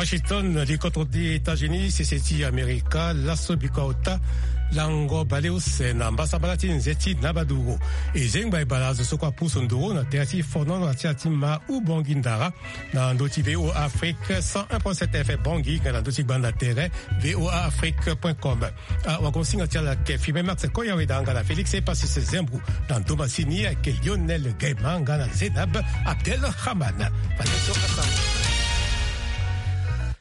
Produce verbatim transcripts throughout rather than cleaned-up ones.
Washington, likotro ti États-Unis, sese ti Amerika, laso biko ota lango baleuse na mbasambala ti nze ti Nabaduru. E zengba e bale azo so kue apusu nduru na tere ti fonono na ti ala ti ma Ubongi Ndara na ndö ti V O A Afrique cent un point sept F M Bangui, nga na ndö ti gbanda tere V O A Afrique point com. Ah, wakonsinga ti ala ayeke Firmin Max Koyaweda nga na Félix Epasis Zembou, na ndo masini ayeke Lionel Gaima nga na Zedab Abdelrahman. Fade so asango.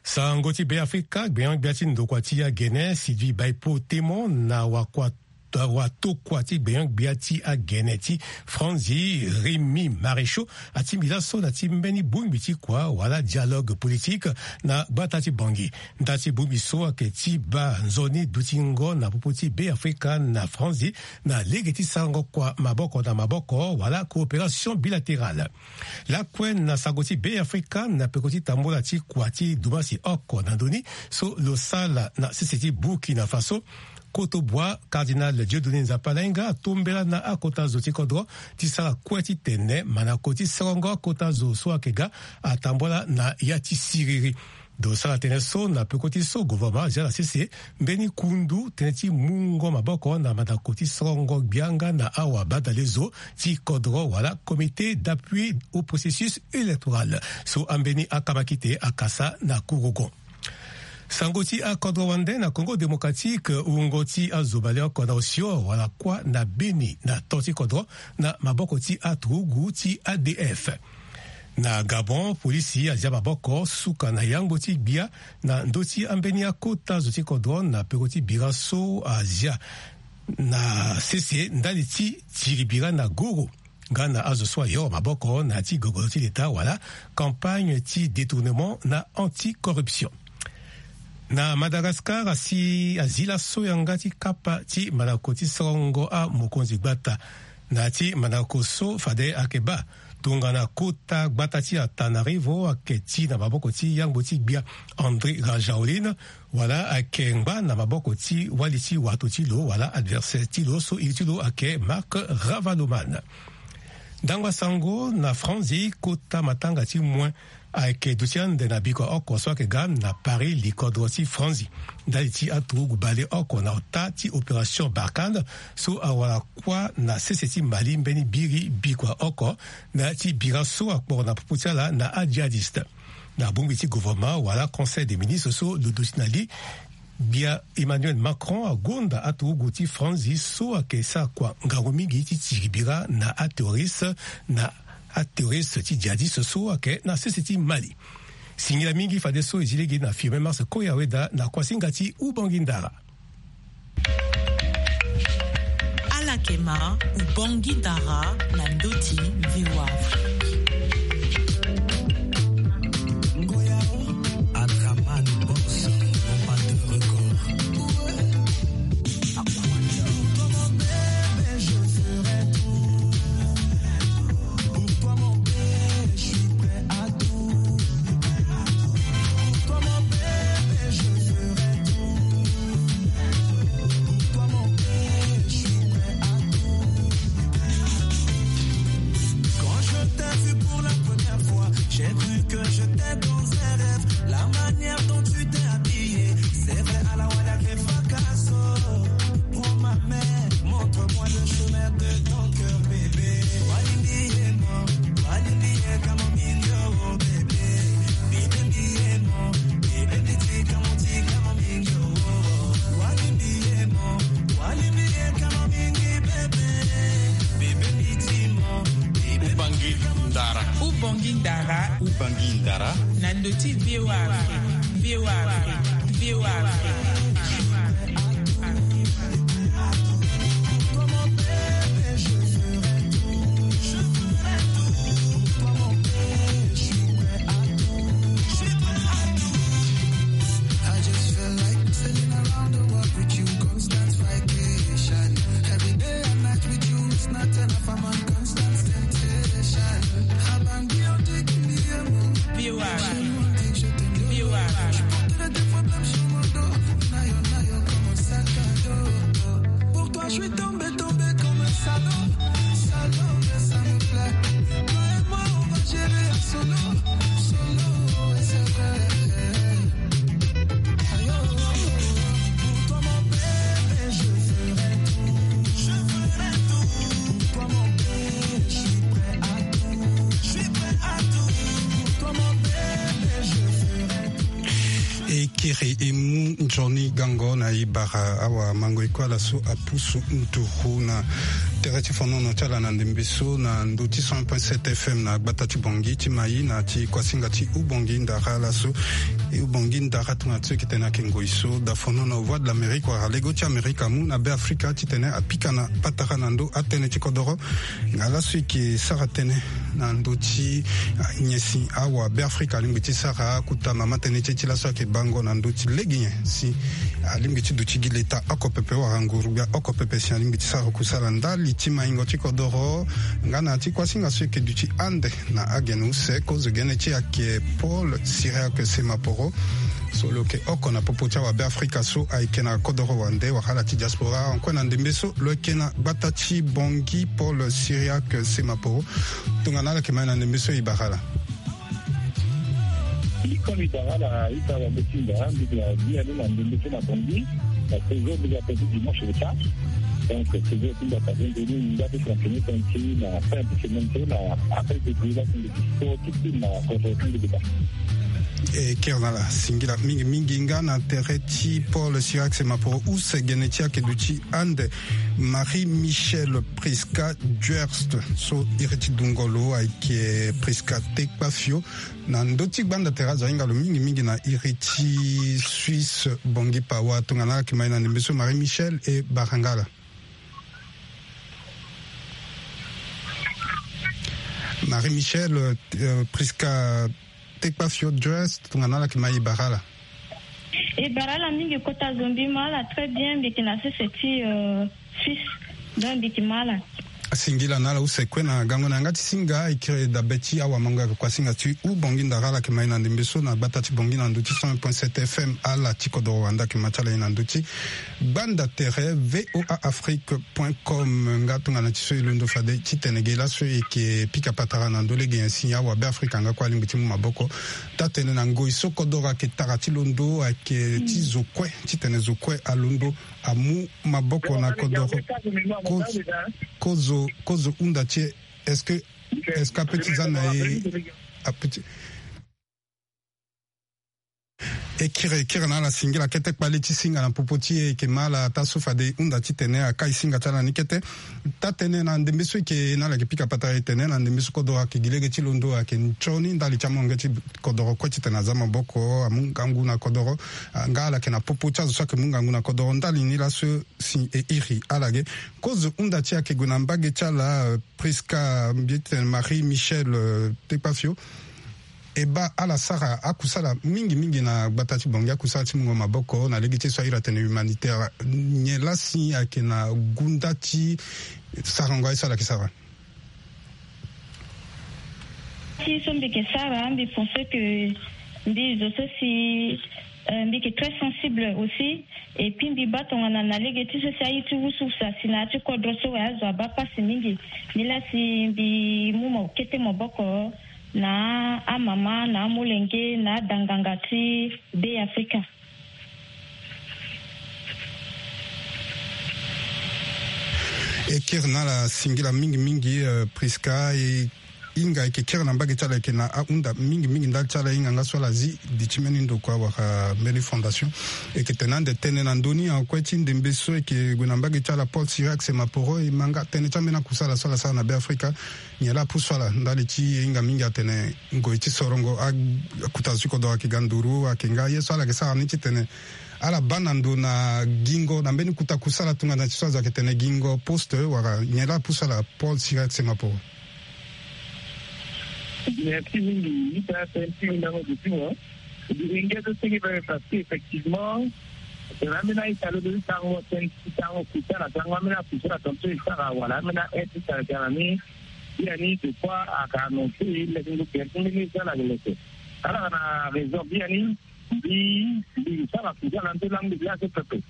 Sango ti Beafrika, gbenyo-gbia ti ndokua ti agene Sylvie Baipo Temon na wakua watokua ti gbenyo-gbia ti agene ti Franzi, Rémy Maréchaux, atingbi laso na ti mbeni bongbi ti kua wala dialogue politique na gbata ti Bangui. Nda ti bongbi so ayeke ti baa nzoni dutingo na popo ti Beafrika na Franzi na lege ti sarango kua maboko na maboko wala coopération bilatérale. Lakue na sango ti Beafrika, na peko ti tambola ti kua ti dumasi oko na ndö ni so lo sala na sese ti Burkina Faso, Koto Bois, Cardinal Dieudonné Nzapa Lainga atombela na akota zo ti kodro ti sara kue titene mandako ti sorongo akota zo so ayeke ga atambola na ya ti siriri. Lo sara tënë so na peko ti so gouvernement azia na sese mbeni kundu tënë ti mungo maboko na mandako ti sorongo gbia nga na awabadalezo ti kodro wala Comité d'appui au processus électoral so ambeni akamakite akasa na kurugo. Sango ti akodro wande na Congo Démocratique, wungo ti azo baleoko na osio wala kuâ na beni na to ti kodro na maboko ti aturugu ti A D F. Na Gabon, polisi azia maboko suka na yangbo ti gbia na ndö ti ambeni akota zo ti kodro na peko ti bira so azia na sese ndali ti tiri bira na goro nga na azo so ayoro maboko na ya ti gogolo ti leta wala campagne ti détournement na anticorruption. Na Madagascar, asi azi laso yanga ti kapa ti mandako ti sorongo amokonzi gbata na ya ti mandako so fade ayeke baa tongana kota gbata ti Antananarivo ayeke ti na maboko ti yangbo ti gbia Andry Rajoelina, wala ayeke ngba na maboko ti wali ti wato ti lo wala adversaire ti lo so iri ti lo ayeke Marc Ravaloman. Ndangba sango na Franzi, kota matanga ti moin ayeke duti ande na bikua oko so ayeke ga na Paris, likodro ti Franzi, ndali ti aturugu baleoko na ota ti opération Barkhane so awara kuâ na sese ti Mali mbeni biri bikua oko na ya ti bira so akporo na popo ti ala na adjihadiste. Na bongbi ti gouvernement wala conseil des ministres so lo duti na li, gbia Emmanuel Macron agonda aturugu ti Franzi so ayeke sara kua ngangu mingi ti tiri bira na aterroriste, na aterroriste ti djihadiste so ayeke na sese ti Mali. Singila mingi fadeso e zi lege na Firmin Mars Koya Weda na kuasinga ti Ubangui Ndara. Ala yeke ma Ubangui Ndara na ndö ti V O A Afrique. Adraman Boss, Bombardier Record. Pour toi, mon bébé, je ferai tout. Pour toi, mon bébé, je suis prêt à tout. Pour toi, mon bébé, je ferai tout. Pour toi, mon bébé, je suis prêt à tout. Quand je t'ai vu pour la première fois, j'ai cru que j'étais dans un rêve. La manière dont tu t'es habillée, c'est vrai, à la Wada Facasso. Prends ma main, montre-moi le chemin de ton cœur, bébé. Walimbi ye mo, walimbi ye kamo mingo, bébé. Bibe mi ye mo, bibe mi ti kamo ti kamo mingo. Walimbi ye mo, walimbi ye kamo mingi, bébé. Bibe mi ti mo, bibe mi ti kamo ti Ndara. Ubangui Ndara. Ubangui Ndara. Na ndö ti V O A Afrique. V O A Afrique. V O A Afrique. I just feel like sailing around the world with you, constant vacation. Every day and night with you is not enough, I'm on constant temptation. Abandi, on dit qu'il me aime. V O A. Chez nous, on dit que je t'aime. V O A. Je porterai tes problèmes sur mon dos. Nayo, nayo, comme un sac à dos. Pour toi, je suis tombé, tombé comme un salaud. Salaud, mais ça me plaît. Toi et moi, on va gérer en solo. Solo, et c'est vrai. Johnny Gango na e bara awa mango e kue ala so apusu nduru na tere ti fonono ti ala na ndembe so na ndö ti cent point sept F M na gbata ti Bangui ti Maï na ti kuasinga ti Ubangui Ndara ala so. E Ubangui Ndara tongana ti so e yeke tene ayeke ngoi so da fonono Voix de l'Amérique wala lego ti Amerika amu na Be Afrika titene apika na patara na ndö atënë ti kodoro. Nga laso e yeke sara tënë na ndö ti, ah, nyen si awa Be Afrika alingbi ti sara akota mama tënë ti e ti laso ayeke bango na ndö ti lege nyen si alingbi ti duti gi leta oko pepe wala nguru-gbia oko pepe si alingbi ti sara kusala ndali ti maingo ti kodoro. Nga na ya ti kuasinga so e yeke duti ande na agene use kozo gene ti e ayeke Paul Cyriaque Semaporo. So lo yeke oko na popo ti awa Be Afrika so ayeke na kodoro wande wala ala ti diaspora. Ankue na ndembe so lo yeke na gbata ti Bangui, Paul Cyriaque Semaporo. Tongana ala yeke ma e na ndembe so e bara ala. Comme e bara ala ita wa betinda mbi na bia ni na ndembe so na Bangui. Na toujours mbi ga pe ti dimanche le temps. Donc toujours ti mbi ata nzoni mbi ga pe fonctionner comme si na fin de semaine so na après de la semaine de sport ti ti na kodoro ti mbi de ba. E kiri na ala singila mingi mingi nga na tere ti Paul Cyriaque Semaporo use gene ti ayeke duti ande Marie Michelle Prisca Duerst so iri ti dungo lo ayeke Prisca Tekpafio. Na ndö ti gbanda tere azo ahinga lo mingi mingi na iri ti Suisse Bangui Pawa. Tongana ala yeke ma e na ndembe so Marie Michelle e bara nga ala. Marie Michelle, euh, Prisca Tekpafio Duerst, tongana ala yeke ma e bara ala. E bara ala mingi kota zo mbi ma ala très bien, mbi yeke na sese ti, euh, Suisse. Donc mbi yeke ma ala. Singila na ala use kue na gango na yanga ti singa e kiri dabe ti awa mango ayeke kuasinga ti Ubangui Ndara ala yeke ma e na ndembe so na gbata ti Bangui na ndö ti cent un point sept F M ala ti kodoro wande ayeke ma ti ala e na ndö ti gbanda tere V O A Afrique point com. Nga tongana ti so e londo fade titene ge laso e yeke pika patara na ndö lege nyen si awa Be Afrika nga kue alingbi ti mu maboko. Taa-tënë na ngoi so kodoro ayeke tara ti londo ayeke ti zo kue titene zo kue alondo amu maboko na kodoro. Ko-, kozo, kozo hunda ti e, est-ce que, est-ce que ape ti za na e, ape ti E kiri, e kiri na ala singila kete kpale ti singa na popo ti e, e yeke ma ala taa so fade e hunda titene akai singa ti ala ni kete. Taa-tënë na ndembe so e yeke na ala yeke pika patara e tene na ndembe so kodoro ayeke gi lege ti londo ayeke nzoni ndali ti amolenge ti kodoro kue titene aza maboko amu ngangu na kodoro. Ah, nga ala yeke na popo ti azo so ayeke mu ngangu na kodoro ndali ni laso si e iri ala ge. Kozo hunda ti e ayeke gue na mbage ti ala, euh, Prisca mbi tene Marie Michelle, euh, Tekpafio. E baa ala sara akusala mingi mingi na gbata ti Bangui, akusala ti mungo maboko na lege ti so a iri atene humanitaire. Nyen laa si ayeke na gunda ti sarango aye so ala yeke sara? Ti so mbi yeke sara, mbi pense que mbi zo so si, euh, mbi yeke très sensible aussi. Et puis mbi baa tongana na lege ti so si aye ti wusuwusu asi na ya ti kodro so wala azo abaa pasi mingi. Nilaa si mbi mu mo kete maboko na amama, na amolenge, na adanganga ti Be Afrika. E kiri na ala singila mingi mingi, euh, Prisca, e hinga e yeke kiri na mbage ti ala, e yeke na ahunda mingi mingi ndali ti ala, e hinga nga so ala zi di ti mbeni ndokua wala mbeni fondation. E yeke tene ande tënë na ndö ni, ankue ti ndembe so e yeke gue na mbage ti ala Paul Cyriaque Semaporo, e ma nga tënë ti ambeni akusala so ala sara na Be Afrika. Nyen laa apusu ala ndali ti e hinga mingi atene ngoi ti sorongo a-, akota zo ti kodoro ayeke ga nduru, ayeke nga ye so ala yeke sara ni titene ala baa na ndo na gingo na mbeni kota kusala tongana ti so azo ayeke tene gingo poste wala nyen laa apusu ala Paul Cyriaque Semaporo? Merci mingi. Ita tënë ti mindango duti mo. Duti nge so senge pe parce que effectivement, tena ambeni a-ita lo do ti sango tënë ti sango kuta na sango ambeni akusala tongaso e sara wala ambeni a-aide ti sara ga na ni. Biani des fois ayeke annoncer leke ngu gere ti mbeni so ala yeke leke. Ala yeke na raison biani. Mbi, mbi sara kusala nde langue de l'art pepe.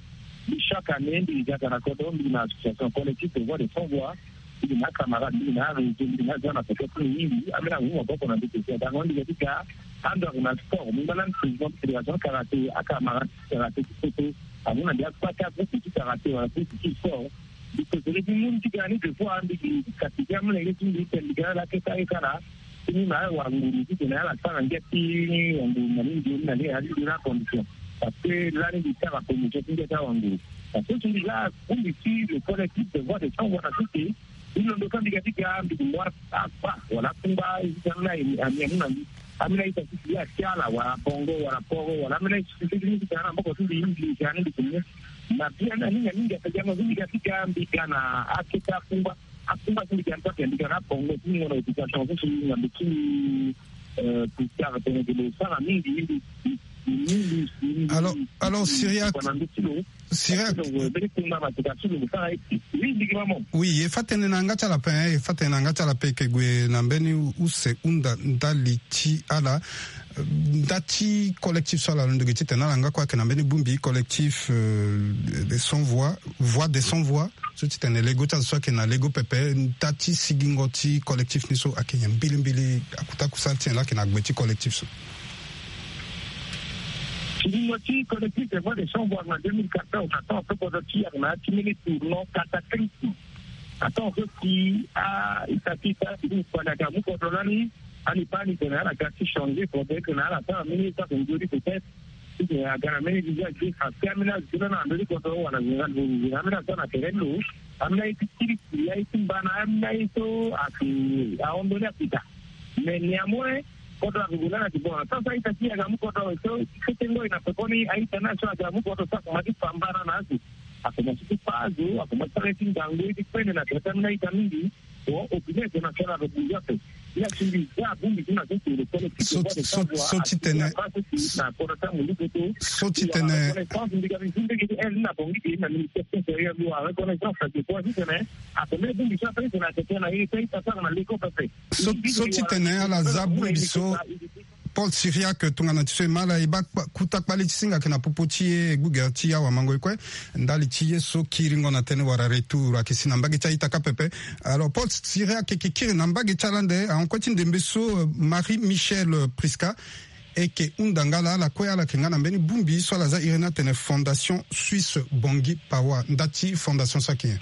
Mbi chaque année mbi yeke ga na kodro, mbi na association collectif de voix de sans voix. Mbi na acamarade, mbi na aréseau, mbi na aza na poto ti mingi. Ambeni amu maboko na mbi kese. Donc mbi yeke ti ga ando ayeke na sport. Mbi mbeni lani président ti fédération karaté, acamarade ti karaté ti poto. Amu na mbi akpati agroupe ti karaté wala groupe ti sport. Mbi kosoro ti mu ni ti ga ni des fois mbi gi kati ti amolenge ti mbi tene mbi ga ni ala keta ye kala. Ti ni na ala wanguru titene ala sara ngia ti wanguru na ni nzoni na ni ala ti nzoni acondition. Parce que lani mbi sara promotion ti ngia ti awanguru. Parce que so mbi za bongbi ti le collectif de voix de chambre wana so si mbi londo so mbi ga ti ga mbi kumba akpa wala akungba isi ti ambeni ami amu na mbi. Ambeni aita ti si ye ati ala wala pongo wala poro wala ambeni aita ti si ye ti tara na mboko ti mbi mbi ga ni mbi kumba. Na bien na ni na ni ngia ti gango so mbi ga ti ga mbi ga na akete akungba. Akungba so mbi ga ni so ake mbi ga na pongo ti ni ngo na occupation so si ngambe ti mbi. Plus tard tene ke lo sara mingi mingi. Alors, alors, Syriac, Syriac. Oui, e fa tene na yanga ti ala ape, e fa tene na yanga ti ala ape, e ke gue na mbeni use hunda ndali ti ala. Nda ti collectif so ala londo gi titene ala nga kue ayeke na mbeni bongbi collectif, euh, des sans voix, voix des sans voix. So titene lego ti azo so ayeke na lego pepe, nda ti sigingo ti collectif ni so ayeke nyen mbilimbili, akuta kusala ti nyen laa ayeke na gbe ti collectif so? Sigingo ti collectif des voix des sans voix na deux mille quatorze, atango so kodro ti e ayeke na ya ti mbeni tournant cataclysme. Atango so si a ita ti ita ti kpali ayeke amu kodro lani. Ani baa ni tene ala ga ti changer kodro, e tene ala sara mbeni ye so ayeke nzoni peut-être. Ti tene aga na mbeni visage ti e, parce que ambeni azo ti lo na ndö ti kodro wala général Bozizé, ambeni azo so na tere ti lo, ambeni aye ti kirikiri, aye ti mbana, ambeni aye so ayeke ahon ndoni akita. Mais néanmoins kodro ayeke gue lani ayeke bon na so so a-ita ti e ayeke amu kodro so, so tengo e na pekoni a-ita ni aye so ayeke amu kodro so akomanse ti fa mbana na azo. Akomanse ti fa azo, akomanse ti sara ye ti ngangu, ye ti kpene na tere ti ambeni a-ita mingi. Bon, opinion internationale rebouge ape. Ni asi mbi za bongbi ti na so si le collectif so, de voix de so, sans voix so ti tene na kota ti amundu poto. So ti tene. Reconnaissance mbi ga mbi zu mbege ti aide na bongi ti na ministère ti intérieur mbi wara reconnaissance na dépôt ti tene. Ape mbeni bongbi so ape ti tene ayeke tene na ye so a-ita sara na leko pepe. So, so ti tene ala za bongbi so. Paul Syriac, tongana ti so e ma ala, e baa kpa-, kuta kpale ti singa ayeke na popo ti e, gbugere ti awamango e kue. Ndali ti ye so kiringo na tënë wala retour ayeke si na mbage ti a-ita kâ pepe. Alors Paul Syriac ayeke kiri na mbage ti ala ande, ahon kue ti ndembe so, euh, Marie Michelle Prisca e yeke hunda nga laa, ala kue ala yeke nga na mbeni bongbi so ala za iri ni atene Fondation Suisse Bangui Pawa. Nda ti fondation so ayeke nyen?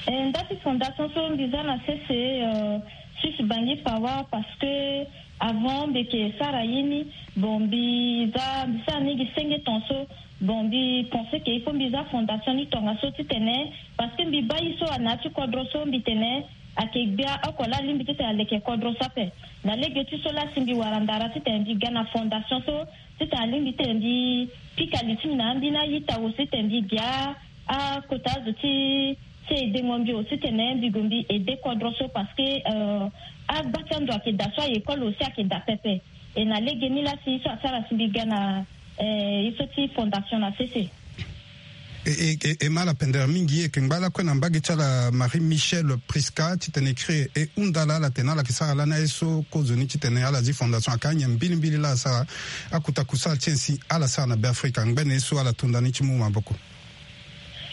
Eh, nda ti fondation so mbi za na sese, euh, Suisse Bangui Pawa, parce que avant mbi yeke sara ye ni, bon, mbi za, mbi sara ni gi senge tongaso. Bon, mbi pense que il faut mbi za fondation ni tongaso titene, parce que mbi baa ye so na ya ti kodro so mbi tene ayeke gbia oko laa alingbi titene aleke kodro so ape. Na lege ti so laa si mbi wara ndara titene mbi ga na fondation so, titene alingbi titene mbi pika li ti mbi na ambeni a-ita, aussi titene mbi gi akota azo ti, ti aidengo mbi aussi titene mbi gue mbi aide kodro so, parce que, euh, agba ti ando ayeke daa so a-école aussi ayeke daa pepe. E na lege ni laa si ye so asara si mbi ga na, eh, ye so ti fondation na sese. E, e, e, e ma ala pendere mingi, e yeke ngba lakue na mbage ti ala Marie Michelle Prisca titene e kiri e hunda ala, ala tene ala yeke sara lani aye so kozoni titene ala zi fondation, ayeke anyen mbilimbili laa asara, akuta kusala ti nyen si ala sara na Beafrika, ngbene ye so ala to nda ni ti mu maboko.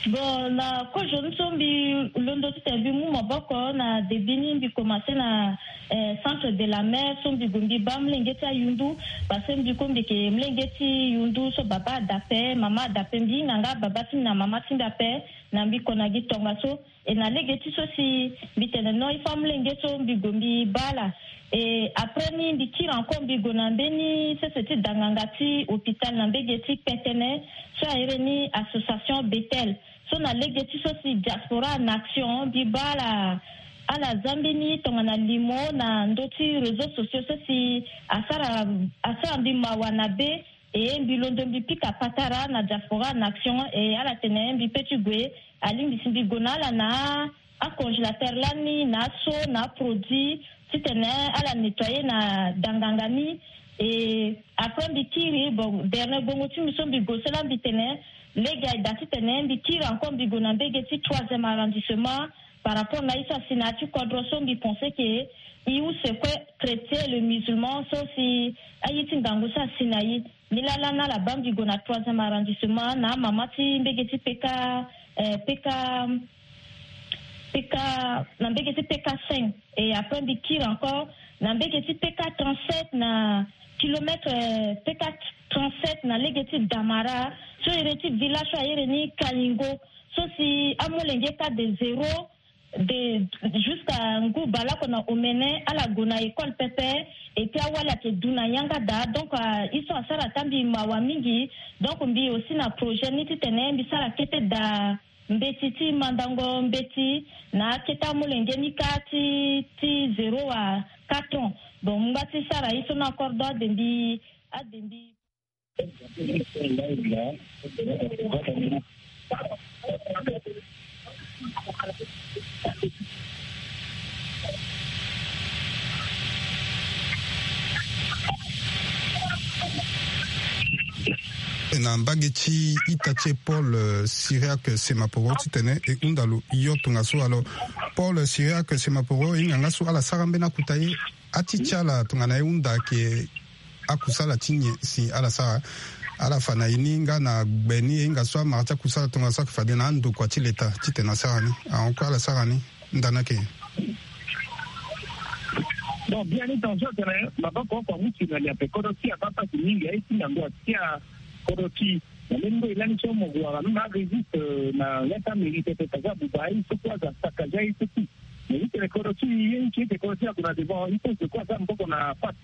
Bon, na kozoni so mbi londo titene mbi mu maboko na début ni, mbi commencé na, eh, centre de la mer so mbi gue mbi baa molenge ti ayundu, parce que mbi kue mbi yeke molenge ti yundu so baba ada ape, mama ada ape, mbi hinga nga baba ti mbi na mama ti mbi ape na mbi ko na gi tongaso. E na lege ti so si mbi tene non, il faut amolenge so mbi gue mbi baa ala. E après ni mbi kiri encore mbi gue na mbeni sese ti danganga ti hôpital na mbage ti Kpetene so a iri ni association Bethel. So na lege ti so si Diaspora en Action mbi baa ala, ala za mbeni tongana limo na ndö ti réseaux sociaux so si asara, asara mbi mawa na be. E mbi londo mbi pika patara na Diaspora en Action, e ala tene mbi pe ti gue, alingbi si mbi gue na ala na acongélateur lani na aso na aproduit titene ala nettoyer na danganga ni. E après mbi kiri, bon, dernier gbongo ti mbi so mbi gue so laa mbi tene lege aye daa titene mbi kiri encore mbi gue na mbage ti troisième arrondissement. Par rapport na ye so asi na ya ti kodro so, mbi pense que e use kue chrétien et le musulman so si aye ti ngangu so asi na e. Ni laa lani ala baa mbi gue na troisième arrondissement na amama ti mbage ti P K, eh, P K, P K, na mbage ti P K cinq. Et après mbi kiri encore na mbage ti P K trente-sept, na kilomètre, eh, P K trente-sept na lege ti Damara so iri ti village so a iri ni Kalingo. So si amolenge kâ de zéro de jusqu'à ngu baleoko na omene ala gue na école pepe. Et puis awali ayeke du na yanga daa. Donc, euh, ye so asara ata mbi mawa mingi. Donc mbi aussi na projet ni titene mbi sara kete daa mbeti ti mandango mbeti na akete amolenge ni kâ ti, ti zéro à quatre ans. Donc ngba ti sara ye so ni encore, donc ade mbi, ade mbi. Na mbage ti ita ti e Paul, euh, Cyriaque Semaporo titene e hunda lo yo tongaso. Alors Paul Cyriaque Semaporo, e hinga nga so ala sara mbeni akuta ye, ati ti ala tongana e hunda ayeke akusala ti nyen si ala sara? Ala fa na e ni nga na gbe ni, e hinga so amara ti akusala tongaso ayeke fade na andokua ti leta titene asara ni? Ahon kue ala sara ni ndani ayeke nyen? Donc biani tongaso atene maboko oko amu si na li ape kodro ti abaa pasi mingi aye ti na ndo atia kodro ti na mbeni ndo e lani so mo gue wara même arésiste na leta mérite pe paza buba aye so kue aza sakaja aye so ti. Mais i tene kodro ti i ye i ti ete kodro ti ague na devant i pense kue aza maboko na pasi.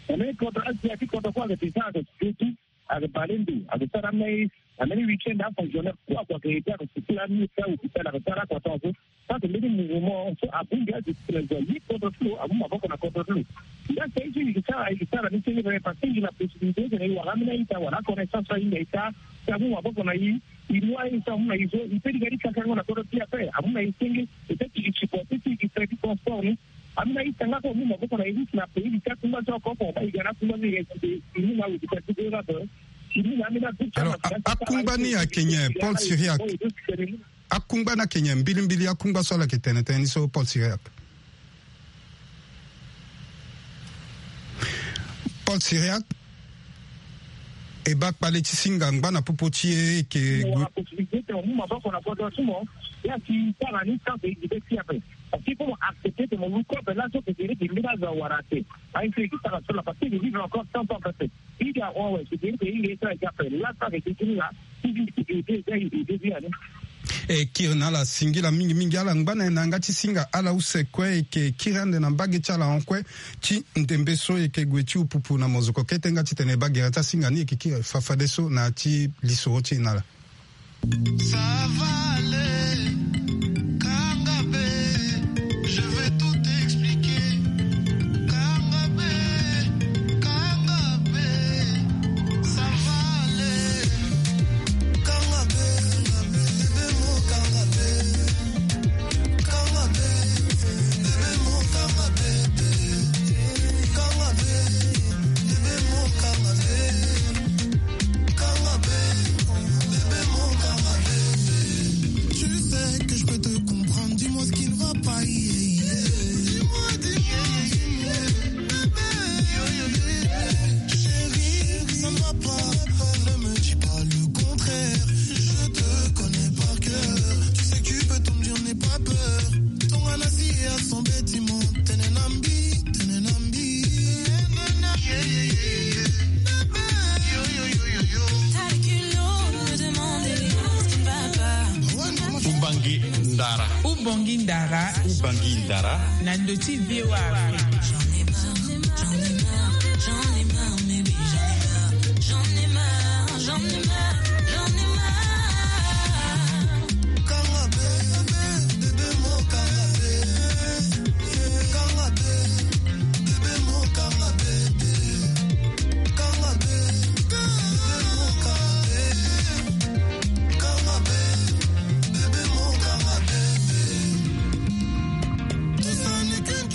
Na mbeni kodro asia ti kodro kue ayeke te sara ayeke sio ti ayeke bale ndo ayeke sara amai na mbeni week-end afonctionnaire kue akua ayeke ete ayeke sukula amai ti ahôpital ayeke sara akua tongaso. Parce que mbeni mouvement so abongbi adiscipline zo aye kodro ti lo amu maboko na kodro ti lo. Nga si aye so i yeke sara i yeke sara ni senge tene parce que i na possibilité tene i wara ambeni a-ita wala aconnaissance so ahinga i sara si amu maboko na i. I mu aye so amu na i so i pe ti ga ti kakango na kodro ti i ape amu na i senge. Peut-être i supporte ti i frais ti transport ni. Ambeni a-ita nga so amu maboko na i risque na pays ti akungba so oko oko ba i ga na akungba so i ga i mu na awe ti kati ti ape. I mu na ambeni a-ita. Alors a- akungba ni ayeke nyen Paul Cyriaque? Akungba ni ayeke nyen mbilimbili akungba so ala yeke tene tënë ni so Paul Cyriaque? Paul Cyriaque, e baa kpale ti singa ngba na popo ti e eke gue. Possibilité ti mo mu maboko na kodro ti mo. Ya si sara ni sans égide ti ape. Parce que il faut mo accepter que mo lu kobe laso que gere ke mbeni azo awara te. Aye so e ke sara so la parce que je vivre encore cent ans peut-être. E kiri na ala singila mingi mingi ala ngba na e na yanga ti singa ala use kue e ke kiri ande na mbage ti ala hon kue ti ndembe so e ke gue ti upupu na mozoko kete nga titene e baa gere ti asinga ni e ke kiri fafadeso na ya ti lisoro ti e na ala. Ça va aller, Kangabe, je vais tout expliquer. Kangabe, Kangabe, ça va aller. Kangabe, Kangabe, bébé mo Kangabe. Kangabe, bébé mo Kangabe. Kangabe, bébé mo Kangabe. Tu sais que je peux te comprendre, dis-moi ce qui ne va pas, yeah, yeah. Dis-moi, dis-moi, dis-moi, bébé. Chérie, ça ne va pas, ne me dis pas le contraire. Je te connais par cœur, tu sais que tu peux tout me dire, n'aie pas peur. Tongana si ya son bâtiment, tene na mbi, tene na mbi. T'as le culot de me demander ce qui ne va pas. Ubangui Ndara. Ubangui Ndara. Ubangui Ndara. Na ndo ti V O A Afrique. J'en ai marre, j'en ai marre, j'en ai marre, baby, j'en ai marre, j'en ai marre, j'en ai marre, j'en ai marre.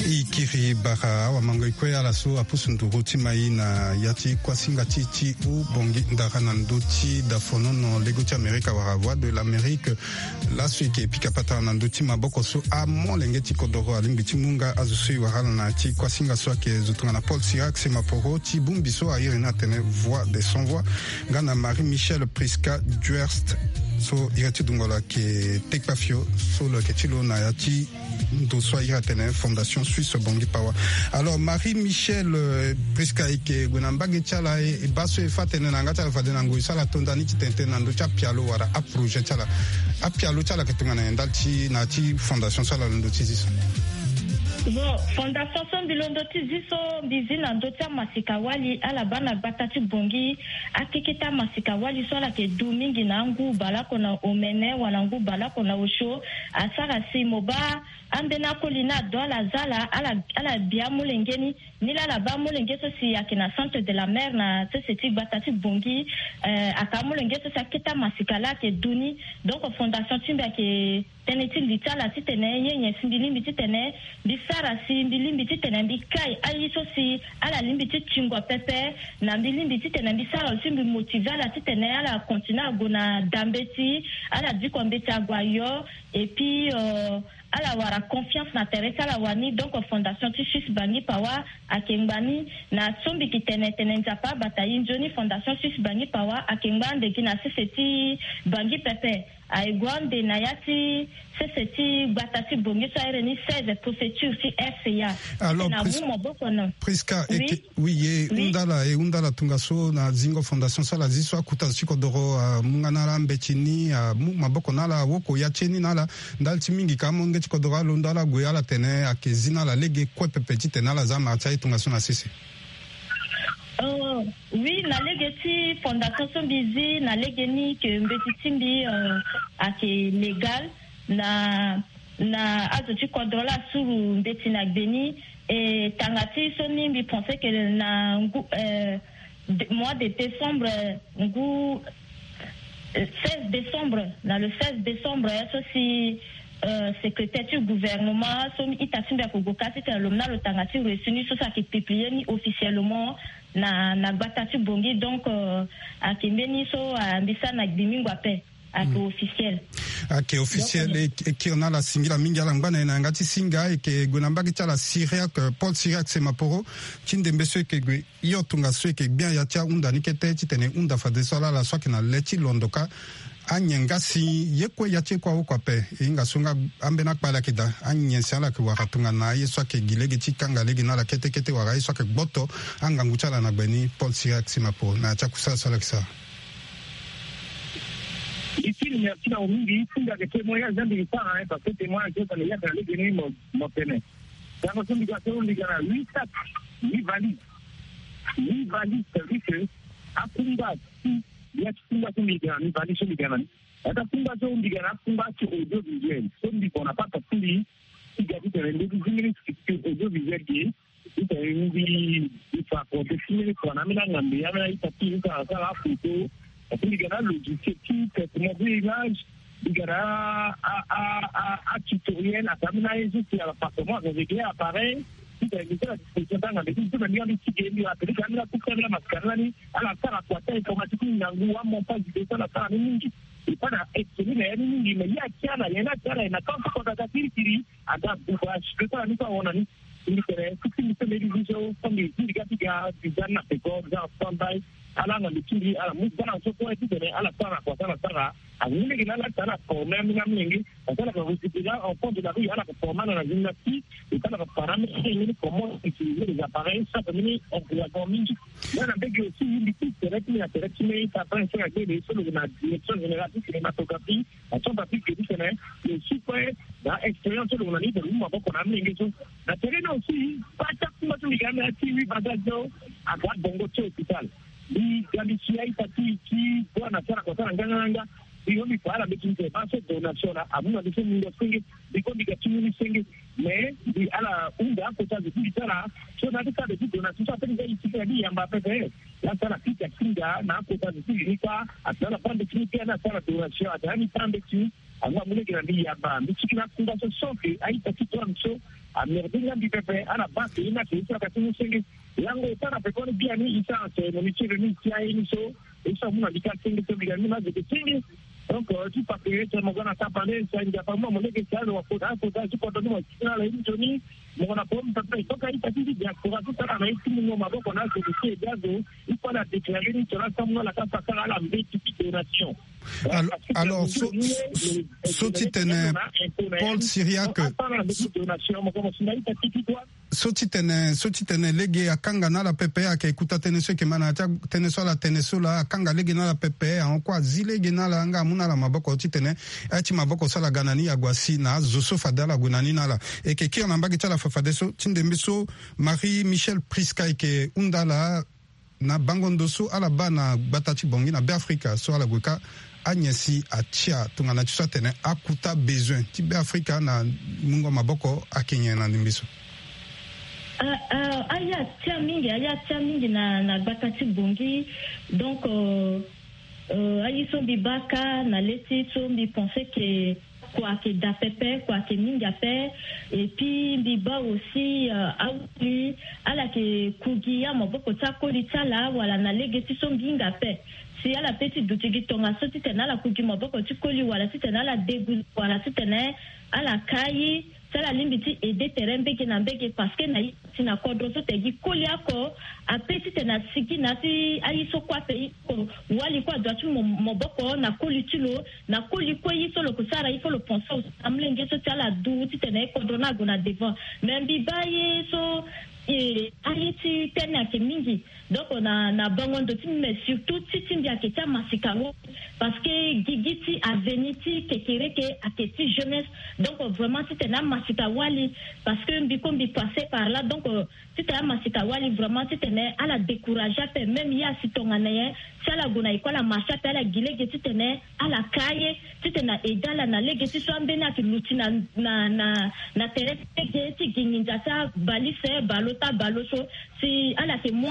E kiri bara awamango e kue ala so apusu nduru ti mai na ya ti kuasinga ti ti Ubangui Ndara na ndö ti dafonono lego ti Amerika wala Voix de l'Amérique. Laso e yeke pika patara na ndö ti maboko so amolenge ti kodoro alingbi ti mu nga azo so e wara ala na ya ti kuasinga so ayeke zo tongana Paul Cyriaque Semaporo ti bongbi so a iri ni atene Voix des Sans Voix nga na Marie Michelle Prisca Duerst so iri ti dungo lo ayeke Tekpafio so lo yeke ti lo na ya ti ndo so a iri atene Fondation Suisse Bangui Power. Alors Marie Michelle, euh, Prisca, e yeke gue na mbage ti ala, e baa so e fâ tënë na yanga ti ala fade na ngoi so ala to ndani ti tene tënë na ndö ti apialo wala aprojet ti ala. Apialo ti ala ayeke tongana nyen ndali ti na ya ti fondation so ala londo ti zi so? Bon, fondation so mbi londo ti zi so mbi zi na ndö ti amasika wali ala baa na gbata ti Bongi. Akeke ti amasika wali so ala yeke du mingi na angu baleoko na omene wala ngu baleoko na osio. Asara si mo baa ambeni akoli ni ado ala za ala ala ala bi amolenge ni. Nilaa ala baa amolenge so si ayeke na centre de la mer na sese ti gbata ti Bongi. Ayeke amolenge so si akete amasika laa ayeke du ni. Donc fondation ti mbi ayeke tënë ti li ti ala titene ye nyen si mbi lingbi titene mbi sara si mbi lingbi titene mbi kai aye so si ala lingbi ti tingo pepe. Na mbi lingbi titene mbi sara aussi mbi motive ala titene ala continue ague na da mbeti. Ala diko mbeti ague ayo. Et puis ala wara confiance na tere ti ala wani. Donc fondation ti sus bangi pawa ayeke ngba ni. Na so mbi yeke tene tene nzapa abata ye nzoni fondation sus bangi pawa ayeke ngba ande gi na sese ti bangi pepe. Aye gue ande na ya ti sese ti gbata ti Bongi so ahere ni seize préfecture ti RCA. Alors na mu maboko na Prisca eke. Oui, e hunda ala e hunda ala tongaso na zingo fondation so ala zi so akuta zo ti kodoro amu nga na ala mbeti ni amu maboko na ala awoko ya ti e ni na ala. Ndali ti mingi ka amolenge ti kodoro alondo ala gue ala tene ayeke zi na ala lege kue pepe titene ala za mara ti aye tongaso na sese. Oui, na lege ti fondation so mbi zi na lege ni ke mbeti ti mbi ayeke légal. Na na azo ti kodro la asuru mbeti na gbe ni. E tanga ti so ni mbi pense ke na ngu mois de décembre ngu seize décembre, na le seize décembre so si secrétaire ti gouvernement so ita ti mbi ako gue ka titene lo mena lo tanga ti reçu ni so si ayeke publie ni officiellement na na gbata ti Bongi. Donc ayeke mbeni so mbi sara na gbi mingo ape. Ayeke officiel. Ayeke officiel. E kiri na ala singila mingi ala ngba na e na yanga ti singa e yeke gue na mbage ti ala Cyriaque Paul Cyriaque Semaporo ti ndembe so e yeke gue hio tongaso e yeke gbia ya ti ahunda ni kete titene e hunda fadeso ala ala so ayeke na le ti londo ka. Anyen nga si ye kue ya ti e kue awoko ape. E hinga so nga ambeni akpale ayeke daa anyen si ala yeke wara tongana aye so ayeke gi lege ti kanga lege na ala kete kete wala aye so ayeke gboto angangu ti ala na gbe ni Paul Cyriaque Semaporo na ya ti akusala so ala yeke sara. Ici merci na mingi ici nga ke témoignage ande ke sara hein parce que témoignage so tene ya tene lege ni mo mo tene. Tango so mbi ga so mbi ga na huit sacs, huit valises. Huit valises, c'est-à-dire que akumba si ya ti kumba so mbi ga na huit valises so mbi ga na ni. Ata kumba so mbi ga na akumba ti audiovisuel so mbi bona papa ti mbi ti ga ti tene ndeti ti mini structure audiovisuel ge. Ita e mbi mbi fa protection mini kua na ambeni angambe ambeni a-ita ti mbi sara sara aphoto. Parce que mbi ga na alogiciel ti traitement de image. Mbi ga na a a a a tutoriel ata ambeni aye so si ala performance avec ye appareil. Ita e mbi sara disposition ti angambe ti mbi so na mbi ga mbi ti ge mbi ga apele ti ambeni akuta ambeni amasika ni lani ala sara kua ti informatique ni ngangu amontage vidéo so ala sara ni mingi. Epa na extrait na ya ni mingi mais ye atia na nyen atia na nyen na kan ti kota ka kirikiri. Aga buba si kota na ni so ahon na ni. Mbi tene si ti mbi so mbi zi so mbi zi mbi ga ti ga mbi za ni na peko mbi za na standby. Ala na mbi ti mbi ala mu bana so kue titene ala sara na kua so ala sara. Angi lege na ala ti ala forme ameni amolenge. Parce que ala ka recycler en fond de la rue ala ka forme ala na gymnastique. Et ala ka para ameni ameni comment utiliser les appareils so ape mini encouragement mingi. Nga na mbege aussi mbi ti tere ti mbi na tere ti mbi ti appareil so na gbele so lo na direction générale ti cinématographie. Action patrick ke ti tene lo si kue na expérience so lo na ni tene lo mu maboko na amolenge so. Na tere ni aussi kue ti akumba so mbi ga ame ya ti huit valises so aga bongo ti hôpital. Mbi ga mbi si a-ita ti ti bua na sara kua sara nganganga. Mbi yo mbi fa ala mbeti mbi tene baa so donation na amu na mbi so mungo senge. Mbi kue mbi ga ti mu ni senge. Mais mbi ala hunda akota zo ti mbi ti ala so na ati sara de ti donation so ape ni nga iti na ni yamba pepe. Laa sara pika ti nga na akota zo ti mbi ni kpa ati na ala baa mbeti ni kpe ani asara donation ati na ani baa mbeti ni. Angu amu lege na mbi yamba mbi tiki na akunga so so ke a-ita ti douane so amerde nga mbi pepe ala baa ke ye ni ake ye so aka ti mu senge. Lango e sara pekoni biani e sara cérémonie ti remise ti aye ni so. E so amu na mbi ka senge so mbi ga mbi na azo ke senge. Donc ti patriot mo ga na tapande sa nzapa mo mo lege sa lo wa kota kota ti kodro ni mo ti na ala ye ni nzoni. Mo ga na pom pepe e toka ita ti ti diaspora ti sara na ye ti mungo maboko na azo ke ti ede azo. Il faut la déclarer ni tona samu na ala ka sasara ala mbeti ti donation. Alors, alors so so ti tene Paul Cyriaque. Donation mo ko mo si na ita ti ti toi. So titene so titene lege akanga na ala pepe, ayeke kuta tënë so eke ma na ya ti atënë so ala tene so laa, akanga lege na ala pepe, ahon kue azi lege na ala nga amu na ala maboko titene aye ti maboko so ala ga na ni ague asi na azo so fade ala gue na ni na ala. Eke kiri na mbage ti ala fafadeso ti ndembe so Marie Michelle Prisca eke hunda ala na bango ndo so ala baa na gbata ti Bangui na Beafrika so ala gue kâ anyen si atia tongana ti so atene akuta bezoin ti Beafrika na mungo maboko ayeke nyen na ndembe so? Ah, ah, aye atia mingi, aye atia mingi na, na gbata ti Bangui. Donc, euh, euh, aye so mbi baa kâ na le ti so mbi pense ke kua ayeke daa pepe, kua ayeke mingi ape. Et puis mbi baa aussi, euh, awali ala yeke ku gi amaboko ti akoli ti ala wala na lege ti so nginga ape. Si ala pe ti duti gi tongaso titene ala ku gi maboko ti koli wala titene ala deguze wala titene ala kai, si ala lingbi ti aider tere mbage na mbage, parce que na ye ti na kodro so te gi koli oko ape titene asigi na ya ti aye so kue ape. Wali kue adua ti mo, maboko na koli ti lo, na koli kue ye so lo ko sara, il faut lo pense aussi na molenge so ti ala du titene kodro ni ague na devant. Mais mbi baa ye so, eh, aye ti tënë ayeke mingi. Donc na, na bango ndo ti mbi, mais surtout ti ti mbi ayeke ti amasika wali, parce que gigi ti avenir ti kekereke ayeke ti jeunesse. Donc vraiment titene amasika wali, parce que mbi ko mbi passe par là. Donc, euh, titene amasika wali vraiment titene ala décourager ape, même ye asi tongana nyen, si ala gue na école amarche ape, ala gi lege titene ala ka ye, titene aaider ala na lege ti so ambeni ayeke luti na, na, na, na tere ti lege ti gi nginza ti abalise, balo ti abalo so. Si ala yeke mu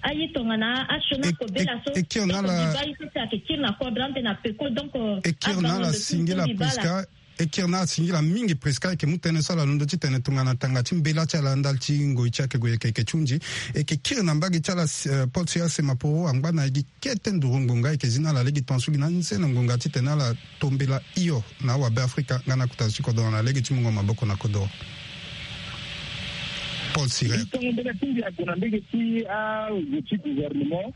aye tongana asioni akobela so. E kiri na ala, donc mbi baa ye so si ayeke kiri na kodro ande na peko. Donc, euh, e kiri na ala singila Prisca. E kiri na ala singila mingi Prisca, e yeke mu tënë so ala londo titene tongana tanga ti mbela ti ala ndali ti ngoi ti ayeke gue yeke, yeke ti hunzi. E yeke kiri na mbage ti ala, eh, Paul Siria Semaporo angba na e gi kete nduru ngonga, e yeke zi na ala lege tongaso gi na nzene ngonga titene ala tombela hio na awabe Afrika nga na akota zo ti kodoro na lege ti mungo maboko na kodoro. Paul Siria. Tongo mbela ti mbi ague na mbage ti azo ti gouvernement.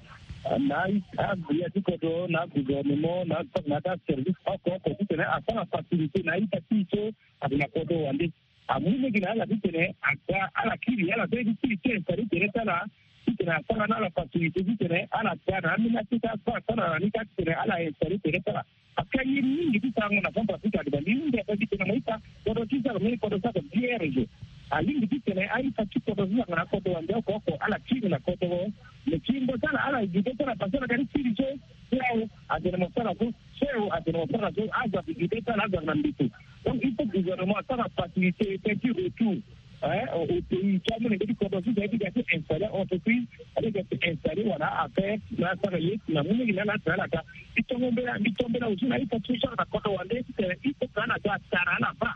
Na agbia ti kodro, na agouvernement, na, na aservice oko oko titene asara facilité na aita ti e so ayeke na kodro wande. Amu lege na ala titene aga, ala kiri, ala sara ti kiri ti installer tere ti ala, titene asara na ala facilité titene ala ga na ambeni akete asara, asara na ni kâ titene ala installer tere ti ala. Parce que aye mingi ti sarango na Centrafrique ade ba mbi hunda ape titene mo ita kodro ti sara mbeni kodro sara vierge. Alingbi titene aita ti kodro ti sara na kodro wande oko oko ala kiri na kodro. Mais kiri ndo ti ala, ala gi be ti ala parce que ala ga ti kiri so, C E A O atene mo sara so, C E A O atene mo sara so, azo ayeke gi be ti ala, azo ayeke na mbeto. Donc il faut gouvernement asara facilité ti retour. Hein, au, au pays, ti amolenge ti kodro ti ga ti ga ti installer entreprise, ti ga ti installer wala affaire, na asara ye na molenge na ala atene ala ka. Mbi tongo mbela, mbi tongo mbela aussi na aita ti so asara na kodro wande titene il faut que ala ga atara ala baa.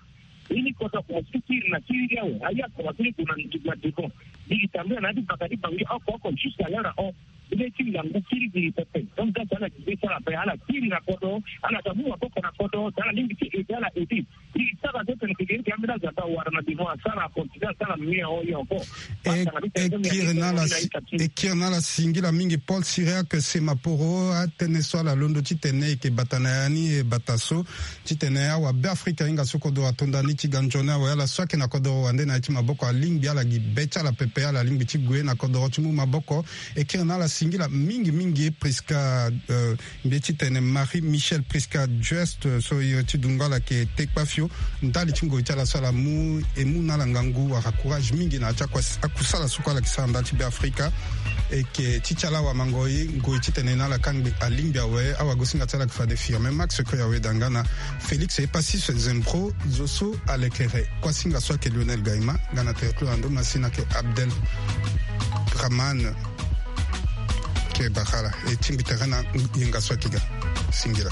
Ye ni kodro akomanse ti kiri na kiri ti awe, aye akomanse ti gue na devant. Mbi gi tambula na ya ti baka ti Bangui oko oko jusqu'à l'heure aho. Mbi lê ti ngangu kiri gi pepe. Donc ga si ala gi be ti ala ape, ala kiri na kodro, ala ga mu maboko na kodro, si ala lingbi ti aider ala aider. Mbi sara so tene kekereke ambeni azo aga awara na devant asara, acontinue asara mia aho ye encore. E kiri na ala, e kiri na ala singila mingi Paul Cyriaque Semaporo. Atënë so ala londo titene e yeke bata na ya ni, e bata so titene awabe Afrika ahinga so kodro ato ndani ti ga nzoni awe, ala so ayeke na kodro wande na ya ti maboko alingbi ala gi be ti ala pepe, ala lingbi ti gue na kodro ti mu maboko. E kiri na ala singila mingi mingi Prisca, euh, mbi ye titene Marie Michelle Prisca Juste, euh, so iri ti dungo ala yeke Tekpafio, ndali ti ngoi ti ala so ala mu, e mu na ala ngangu wala courage mingi na ya ti akusala so kue ala yeke sara ndali ti Beafrika. E yeke ti ti ala awamangoi, ngoi titene na ala kangbi alingbi awe. Awagosinga ti ala yeke fade Firmin Max Koyawe da nga na Félix Epasis Zembro, zo so alekere. Kuasinga so ayeke Lionel Gaima, nga na tere ti lo na ndo masina ayeke Abdel Rahman. Ke bakala e tingbi tere na yenga so ayeke ga. Singila.